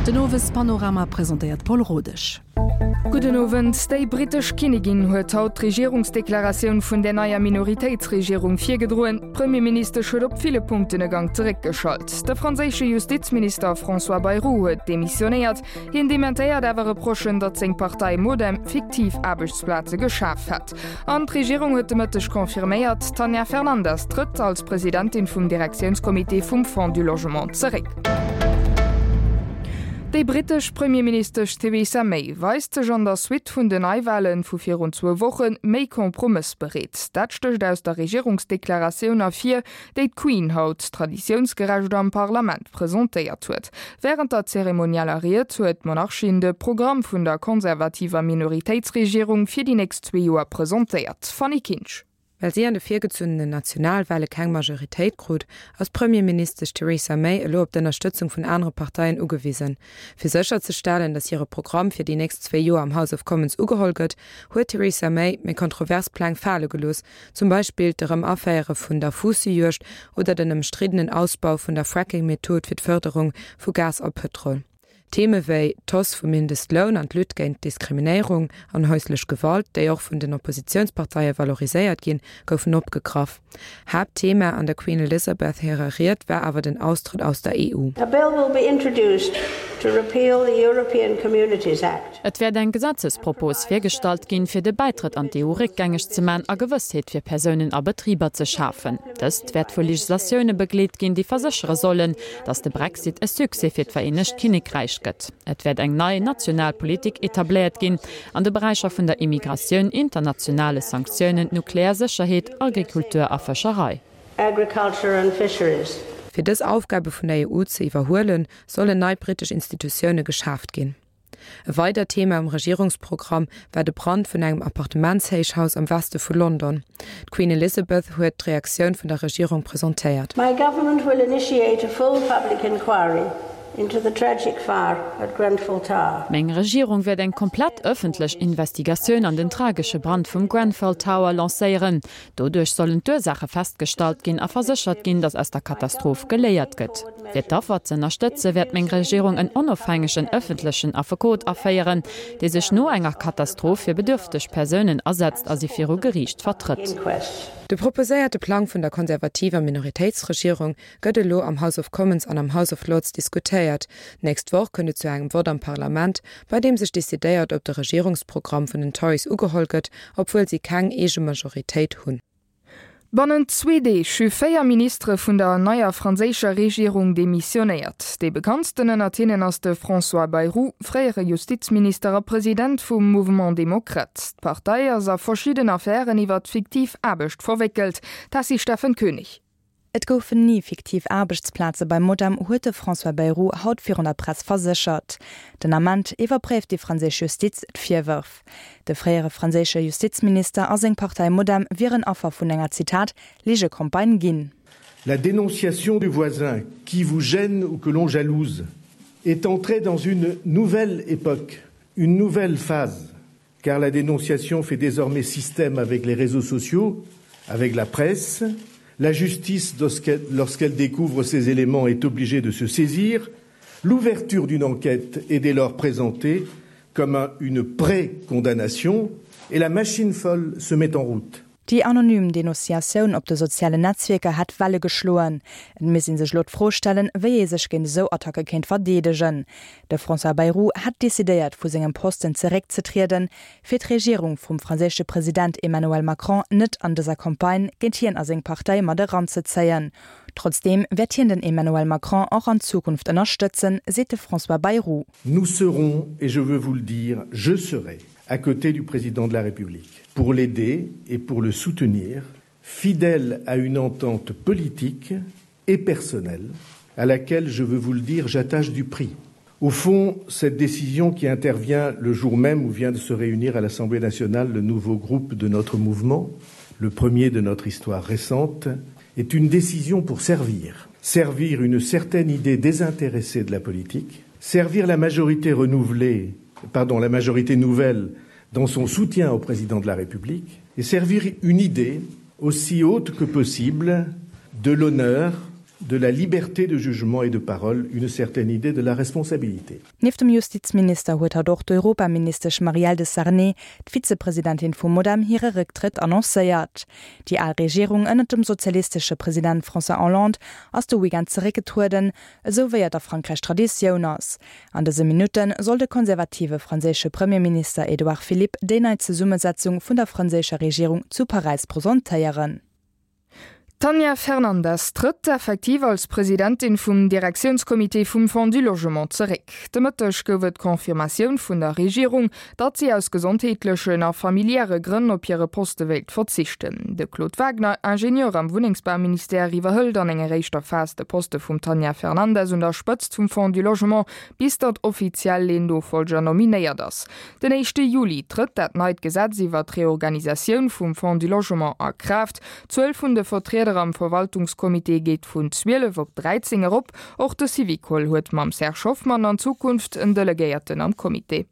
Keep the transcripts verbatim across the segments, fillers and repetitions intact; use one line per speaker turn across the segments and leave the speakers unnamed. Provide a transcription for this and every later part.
Den Owespanorama presentéiert d'Paul Rodesch.
Gudden Owend. Déi brittesch Kinnigin huet haut d'Regierungsdeklaratioun vun der neier Minoritéitsregierung virgedroen. D'Premierministesch huet op ville Punkten e Gank zeréckgeschalt. De franséische Justizminister François Bayrou huet demissionéiert. Hien dementéiert awer Reprochen, datt seng Partei Modem fiktiv Aarbechtsplaze geschaf hätt. An d'Regierung huet de Mëtteg confirméiert, d'Tanja Fernandes trëtt als Presidentin vum Direktiounscomité vum Fonds du Logement zeréck. Déi brittesch Premierministesch Theresa May weist sech an der Suite vun den Neiwale vu virun zwou Woche méi kompromëssbereet. Dat stécht aus der Regierungsdeklaratioun ervir, déi d'Queen haut traditiounsgerecht am Parlament presentéiert huet. Wärend der zeremonieller Ried huet d'Monarchin de Programm vun der konservativer Minoritéitsregierung fir déi nächst zwee Joer presentéiert. Fanny Kinsch.
Well si an de virgezunnenen Nationalwale keng Majoritéit krut, ass d'Premierministesch Theresa May elo op d'Ënnerstëtzung vun anere Parteien ugewisen. Fir sécherzestellen, datt hire Programm fir déi nächst zwee Joer am House of Commons ugeholl gëtt, huet d'Theresa May méi kontrovers Pläng fale gelooss, zum Beispill d'Erëm-Aféiere vun der Fuussejuegd oder den ëmstriddenen Ausbau vun der Fracking-Method fir d'Fërderung vu Gas a Pëtrol. Theme wéi d'Hausse vum Mindestloun an d'Lutte géint Diskriminéierung an häuslech Gewalt, déi och vun den Oppositiounsparteie valoriséiert ginn, goufen opgegraff. Haaptthema an der Queen Elizabeth hirer Ried war awer den Austrëtt aus der E U.
A bill will be introduced to repeal the European Communities Act.
Et wäert eng Gesetzespropos virgestallt ginn, fir de Bäitrëtt an d'E U réckgängeg ze man a Gewëssheet fir Persounen a Betriber ze schafen. Dëst wäert vu Legislatioune begleet ginn, déi verséchere sollen, datt de Brexit e Succès fir d'Vereenegt Kinnekräich gëtt. Et wäert eng nei national Politik etabléiert ginn an de Beräicher vun der Immigratioun, internationale Sanktiounen, Nuklearsécherheet, Agrikultur a Fëscherei.
Agriculture and fisheries.
Fir dës Aufgabe vun der E U ze iwwerhuelen, sollen nei brittesch Institutioune geschaaft ginn. E weidert Thema am Regierungsprogramm war de Brand vun engem Appartementshéichhaus am Weste vu London. D'Queen Elizabeth huet d'Reaktioun vun der Regierung presentéiert.
My government will initiate a full public inquiry into the tragic fire at Grenfell Tower.
Meng Regierung wäert eng komplett ëffentlech Investigatioun an den tragesche Brand vum Grenfell Tower lancéieren. Doduerch sollen d'Ursaache festgestallt ginn a verséchert ginn, datt aus der Katastroph geléiert gëtt. Fir d'Affer ze ënnerstëtze wäert meng Regierung en onofhängegen ëffentlechen Affekot aféieren, dee sech no enger Katastroph fir bedürfteg Persounen asetzt a si viru Geriicht vertrëtt.
De proposéierte Plang vun der konservativer Minoritéitsregierung gëtt elo am House of Commons an am House of Lords diskutéiert. D'nächst Woch kënnt et zu engem Vott am Parlament, bei deem sech decidéiert, ob de Regierungsprogramm vun den Tories ugeholl gëtt, obwuel si keng eege Majoritéit hunn.
Bannent zwee Deeg hu véier Ministere vun der neier franséischer Regierung demissionéiert. Dee bekanntsten ënnert hinnen ass de François Bayrou, fréiere Justizminister a President vum Mouvement Démocrate. D'Partei ass a verschidden Affären iwwer fiktiv Aarbecht verwéckelt. Tessy Steffen Koenig.
Et goufen ni fiktiv Aarbechtsplaze bei Modem, huet de François Bayrou haut virun der Press verséchert. Den Ament iwwerpréift déi franséisch Justiz d'Virwërf. De fréiere franséische Justizminister a seng Partei Modem wieren Affer vun enger, Zitat, Ligecampagne ginn.
La dénonciation du voisin qui vous gêne ou que l'on jalouse est entrée dans une nouvelle époque, une nouvelle phase, car la dénonciation fait désormais système avec les réseaux sociaux, avec la presse. La justice, lorsqu'elle découvre ces éléments, est obligée de se saisir. L'ouverture d'une enquête est dès lors présentée comme un, une pré-condamnation et la machine folle se met en route.
Déi anonym Denonciatioun op de sozialen Netzwierker hätt Welle geschloen. Et misst ee sech elo d'Fro stellen, wéi ee sech géint esou Attacke kéint verdeedegen. De François Bayrou hätt decidéiert, vu sengem Posten zeréckzetrieden, fir d'Regierung vum franséische President Emmanuel Macron net an dëser Campagne géint hien a seng Partei mat eranzezéien. Trotzdeem wäert hien den Emmanuel Macron och an Zukunft ënnerstëtzen, seet de François Bayrou.
Nous serons, et je veux vous le dire, je serai à côté du président de la République pour l'aider et pour le soutenir, fidèle à une entente politique et personnelle à laquelle, je veux vous le dire, j'attache du prix. Au fond, cette décision qui intervient le jour même où vient de se réunir à l'Assemblée nationale le nouveau groupe de notre mouvement, le premier de notre histoire récente, est une décision pour servir. Servir une certaine idée désintéressée de la politique, servir la majorité renouvelée, pardon, la majorité nouvelle dans son soutien au président de la République et servir une idée aussi haute que possible de l'honneur, de la liberté de jugement et de parole une certaine idée de la responsabilité.
Nieft dem Justizminister huet haut och d'Europaministesch Marielle de Sarnez, d'Vizepresidentin vum Modem, hire Récktrëtt annoncéiert. Déi al Regierung ënnert dem sozialistesche President François Hollande ass de Weekend zeréckgetrueden, esou wéi et a Frankräich Traditioun ass. An dëse Minutte soll de konservative franséische Premierminister Edouard Philippe déi nei Zesummesetzung vun der franséischer Regierung zu Paräis presentéieren.
D'Tanja Fernandes trëtt effektiv als Presidentin vum Direktiounscomité vum Fonds du Logement zeréck. De Mëtteg gouf et d'Confirmatioun vun der Regierung, datt si aus gesondheetlechen a familiäre Grënn op hire Poste wéilt verzichten. De Claude Wagner, Ingenieur am Wunnengsbauministère, iwwerhëlt an enger éischter Phas de Poste vum Tanja Fernandes un der Spëtzt vum Fonds du Logement, bis datt offiziell een Nofollger nominéiert ass. Den éischte Juli trëtt dat neit Gesetz iwwer d'Reorganisatioun vum Fonds du Logement a Kraaft. D'Zuel vun de Vertrieder am Verwaltungscomité geet vun zwielef op dräizéng erop. Och de Syvicol huet mam Serge Hoffmann an Zukunft en Delegéierten am Comité.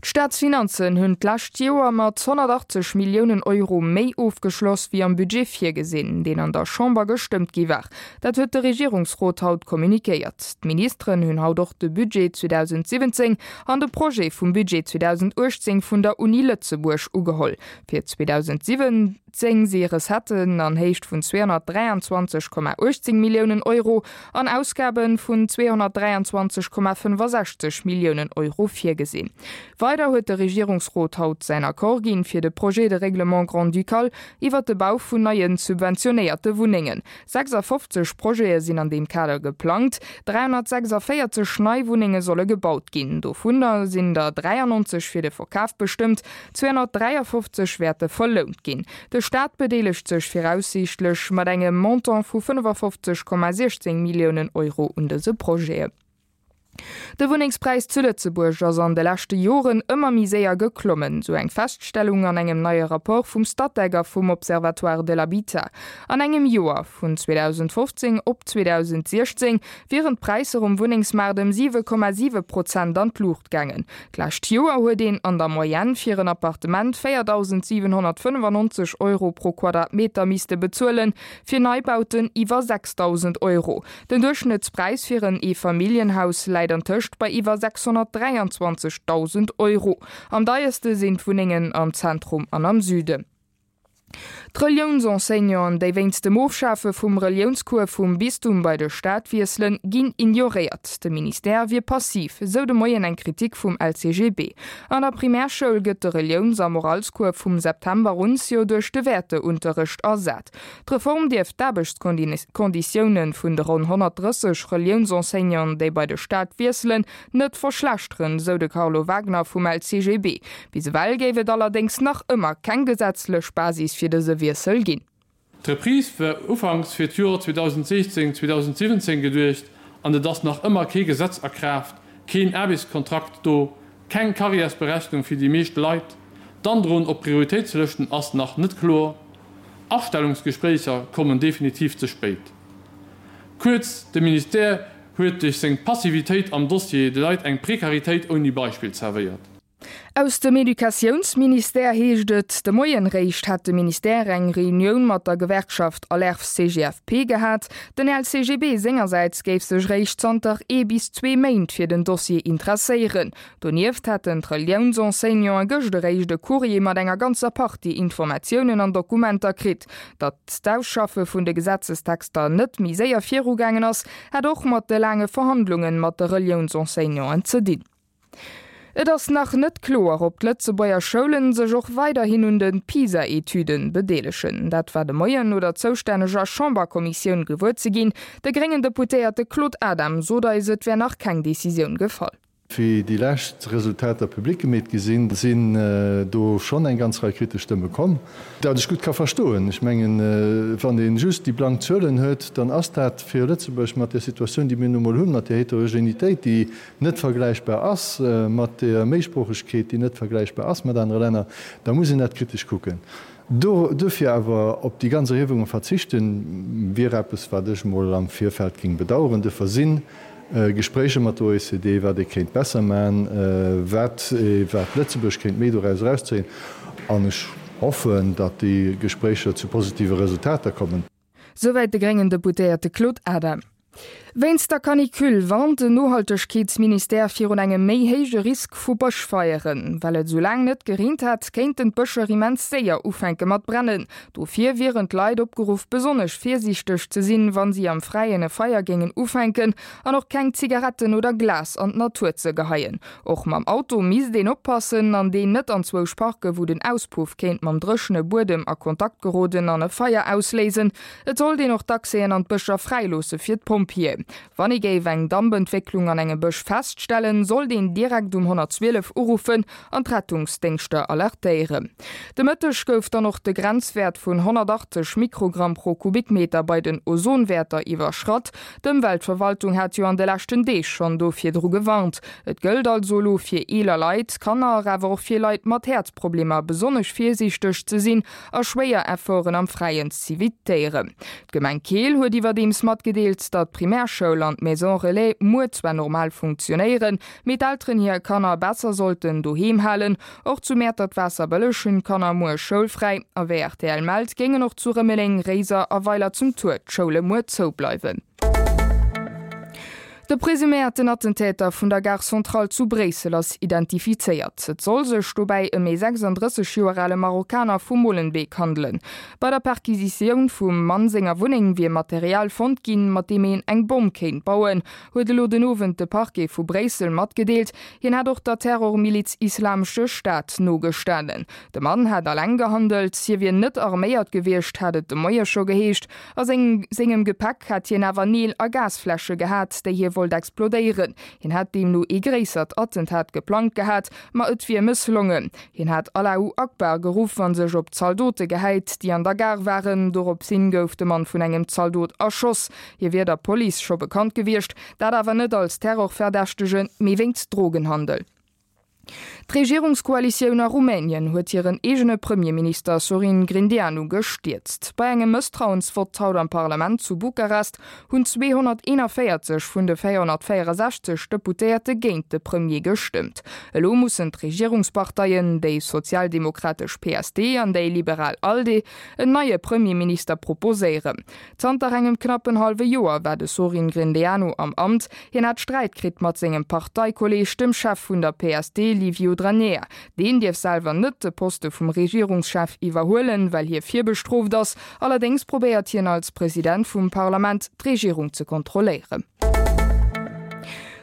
D'Staatsfinanzen hunn d'lescht Joer mat honnertachtzeg Milliounen Euro méi ofgeschloss wéi am Budget virgesinn, deen an der Chamber gestëmmt gi war. Dat huet de Regierungsrot haut kommunikéiert. D'Ministeren hunn haut och de Budget zweedausendsiwwenzéng an de Projet vum Budget zweedausendachtzéng vun der Uni Lëtzebuerg ugeholl. Fir zweedausendsiwwenzéng si Recetten an Héicht vun zweehonnertdräianzwanzeg Komma uechtzéng Milliounen Euro an Ausgabe vun zweehonnertdräianzwanzeg Komma fënnefasechzeg Milliounen Euro virgesinn. Weider huet de Regierungsrot haut säin Accord ginn fir de Projet de règlement grand-ducal iwwert de Bau vun neien subventionéierte Wunnengen. sechsafofzeg Projete sinn an deem Kader geplangt, dräihonnertsechsundvéierzeg nei Wunnenge solle gebaut ginn. Dovunner sinn der dräiannonzeg fir de Verkaf bestëmmt, zweehonnertdräiafofzeg wäerte verlount ginn. De Staat bedeelegt sech viraussiichtlech mat engem Montant vu fënnefafofzeg Komma siechzéng Milliounen Euro un dëse Projete. De Wunnengspräis zu Lëtzebuerg ass an de leschte Joren ëmmer méi séier geklommen, sou eng Feststellung an engem neie Rapport vum Statec a vum Observatoire de l'habitat. An engem Joer, vun zweedausendfofzéng op zweedausendsiechzéng, wieren d'Präisser um Wunnengsmaart ëm siwe Komma siwe Prozent an d'Luucht gaangen. D'lescht Joer huet een an der Moyenne fir en Appartement véierdausendsiwenhonnertfënnefannonzeg Euro pro Quadratmeter misste bezuelen, fir Neibauten iwwer sechsdausend Euro. Den Duerchschnëttspräis fir en Eefamilljenhaus läit antëscht bei iwwer sechshonnertdräianzwanzegdausend Euro. Am deierste sinn d'Wunnengen am Zentrum an am Süden. D'Reliounsenseignanten, déi wéinst dem Ofschafe vum Reliounscours vum Bistum bei de Staat wiesselen, ginn ignoréiert. De Ministère wier passiv, sou de Moien eng Kritik vum L C G B. An der Primärschoul gëtt de Reliouns a Moralscours vum September un jo duerch de Wäerteunterrecht ersat. D'Reform dierft d'Aarbechtskonditioune vun de ronn honnertdrësseg Reliounsenseignanten, déi bei de Staat wiesselen, net verschlechteren, sou de Carlo Wagner vum L C G B. Bis ewell géif et allerdéngs nach ëmmer keng gesetzlech Basis fir dëse Wiessel ginn.
D'Reprise war ufanks fir d'Joer zweedausendsiechzéng, zweedausendsiwwenzéng geduecht an et ass nach ëmmer kee Gesetz a Kraaft, keen Aarbechtskontrakt do, keng Karriärsberechnung fir déi meescht Leit, d'Androen op Prioritéitslëschten ass nach net kloer, Astellungsgespréicher kommen definitiv ze spéit. Kuerz, de Ministère huet duerch seng Passivitéit am Dossier de Leit eng Prekaritéit ouni Beispill zerwéiert.
Aus dem Educatiounsministère heescht et, de Moien réischt hätt de Ministère eng Reunioun mat der Gewerkschaft Alerf-C G F P gehat. Den L C G B sengersäits géif sech réischt zanter ee bis zwee Méint fir den Dossier interesséieren. Donieft hätten d'Reliounsenseignanten gëscht eréischt e Courrier mat enger ganzer Partie Informatiounen an Dokumenter kritt. Datt d'Ausschaffe vun de Gesetzestexter net méi séier virugaangen ass, hätt och mat de laange Verhandlunge mat de Reliounsenseignanten ze dinn. Et ass nach net kloer, ob d'Lëtzebuerger Schoulen sech och weiderhin un de PISA-Etüden bedeelegen. Dat war de Moien no der zoustänneger Chamberkommissioun gewuer ze ginn. De gréngen Deputéierte Claude Adam sot eis, et wär nach keng Decisioun gefall.
Wéi déi lescht Resultater public gemeet gi sinn, sinn do schonn eng ganz Rei kritesch Stëmme komm. Dat ech gutt ka verstoen. Ech mengen, wann ee just déi blank Zuelen huet, dann ass dat fir Lëtzebuerg mat där Situatioun, déi mir nu mol hunn, mat där Heterogenitéit, déi net vergläichbar ass mat där Méisproochegkeet, déi net vergläichbar ass mat anere Länner, da muss een dat kritesch kucken. Duerfir awer op déi ganz Erhiewunge verzichten, wier eppes, wat ech mol am Virfeld géing bedauern. Duerfir si Gespréicher mat der O E C D, wat ee kéint besser maachen, wat wat Lëtzebuerg kéint méi doraus erauszéien. An ech hoffen, datt déi Gespréicher zu positive Resultater kommen.
Souwäit de gréngen Deputéierte Claude Adam. Wéinst der Canicule warnt den Nohaltegkeetsministère virun engem méi héije Risk vu Bëschfeieren. Well et esou laang net gereent hat, kéinten d'Bëscher immens séier ufänke mat brennen. Dofir wieren d'Leit opgeruff, besonnesch virsiichteg ze sinn, wa si am Fräien e Feier géingen ufänken an och keng Zigaretten oder Glas an d'Natur ze geheien. Och mam Auto misst een oppassen an deen net anzwousch parken, wou den Auspuff kéint mam dréchene Buedem a Kontakt geroden an e Feier ausléisen. Et sollt een och d'Accèsen an d'Bëscher fräiloosse fir d'Pompjeeën. Wann ee géif eng Dampentwécklung an engem Bësch feststellen, sollt een direkt um honnertzwielef uruffen an d'Rettungsdéngschter alertéieren. De Mëtteg gouf dann och de Grenzwäert vun honnertachtzeg Mikrogramm pro Kubikmeter bei den Ozonwäerter iwwerschratt. D'Ëmweltverwaltung hat jo an de leschten Deeg schonn do virdru gewarnt. Et gëllt also elo fir eeler Leit, Kanner, awer och fir Leit mat Häerzproblemer besonnesch virsiichteg ze sinn a schwéier Efforten am Fräien z'evitéieren. D'Gemeng Keel huet iwwerdeems matgedeelt, datt d'Primärschoul an d'Maison Relais muer zwar normal funktionéieren, mee d'Elteren hir Kanner besser sollten doheem halen. Och zu Mäertert-Waasserbëlleg hunn d'Kanner muer schoulfräi. A wéi rtl mellt, géingen och zu Rëmeleng, Réiser a Weiler zum Tuer d'Schoule muer zoubleiwen. De presuméierten Attentäter vun der Gare Centrale zu Bréissel ass identifizéiert. Et soll sech dobäi ëm ee sechsanddrësseg Joer ale Marokkaner vu Molenbeek handelen. Bei der Perquisitioun vum Mann senger Wunneng wier Material fonnt ginn, mat deem een eng Bomm kéint bauen, huet elo den Owend de Parquet vu Bréissel matgedeelt. Hien hätt och der Terrormiliz Islamesche Staat nogestanen. De Mann hätt alleng gehandelt, hie wier net arméiert gewiescht, hat et de Moie scho geheescht. A sengem Gepäck hätt hien awer Neel a Gasfläsche gehat, déi hie wollt explodéieren. Hien hätt deemno ee gréissert Attentat geplangt gehat, ma et wier mësslongen. Hien hätt Allahu Akbar geruff a sech op d'Zaldote gehäit, déi an der Gare waren. Doropshin gouf de Mann vun engem Zaldot erschoss. Hie wier der Police scho bekannt gewiescht, dat awer net als Terrorverdächtegen, mee wéinst Drogenhandel. D'Regierungskoalitioun a Rumänien huet hiren eegene Premierminister Sorin Grindeanu gestierzt. Bei engem Mësstrauensvott haut am Parlament zu Bukarest hunn zweehonnerteenanvéierzeg vun de véierhonnertvéierensechzeg Deputéierte géint de Premier gestëmmt. Elo mussen d'Regierungsparteien, déi sozialdemokratesch P S D an déi liberal ALDE, en neie Premierminister proposéieren. Zanter engem knappen hallwe Joer war de Sorin Grindeanu am Amt. Hien hat Sträit kritt mat sengem Parteikolleeg, dem Chef vun der P S D Liviu Dragnea. Deen dierf selwer net de Poste vum Regierungschef iwwerhuelen, well hie virbestrooft ass. Allerdéngs probéiert hien als President vum Parlament d'Regierung ze kontrolléieren.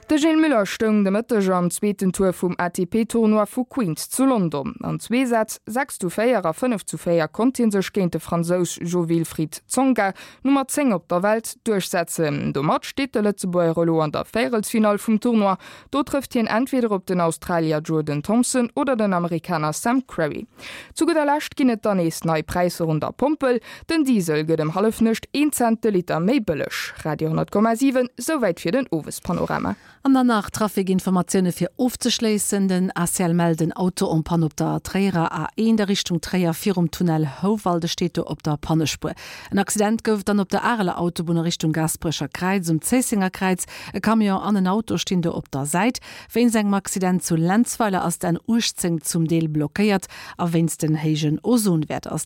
De Gilles Muller stoung de Mëtteg am zweeten Tour vum A T P-Tournoi vu Queens zu London. An zwee Sätz, sechs zu véier a fënnef zu véier, konnt hie sech géint de Fransous Jo-Wilfried Tsonga, Nummer zéng op der Welt, duerchsetzen. Domat steet de Lëtzebuerger elo an der Véierelsfinall vum Tournoi. Do trëfft hien entweder op den Australier Jordan Thompson oder den Amerikaner Sam Querrey. Zu gudder Lescht ginn et dann nees nei Präisser un der Pompel. Den Diesel gëtt ëm Hallefnuecht een Cent de Liter méi bëlleg. Radio honnert Komma siwen, souwäit fir den Owespanorama.
An dann nach Trafikinformatioune fir ofzeschléissen. Den A C L mellt en Auto en panne op der Tréierer A eent a Richtung Tréier virum Tunnel Houwald, e steet do op der Pannespuer. En Accident gouf et dann op der Areler Autobunn a Richtung Gaasperecher Kräiz um Zéissenger Kräiz. E Camion an en Auto stinn do op der Säit. Wéinst engem Accident zu Lenzweiler ass d'N uechtzéng zum Deel blockéiert a wéinst den héijen Ozonwäerter ass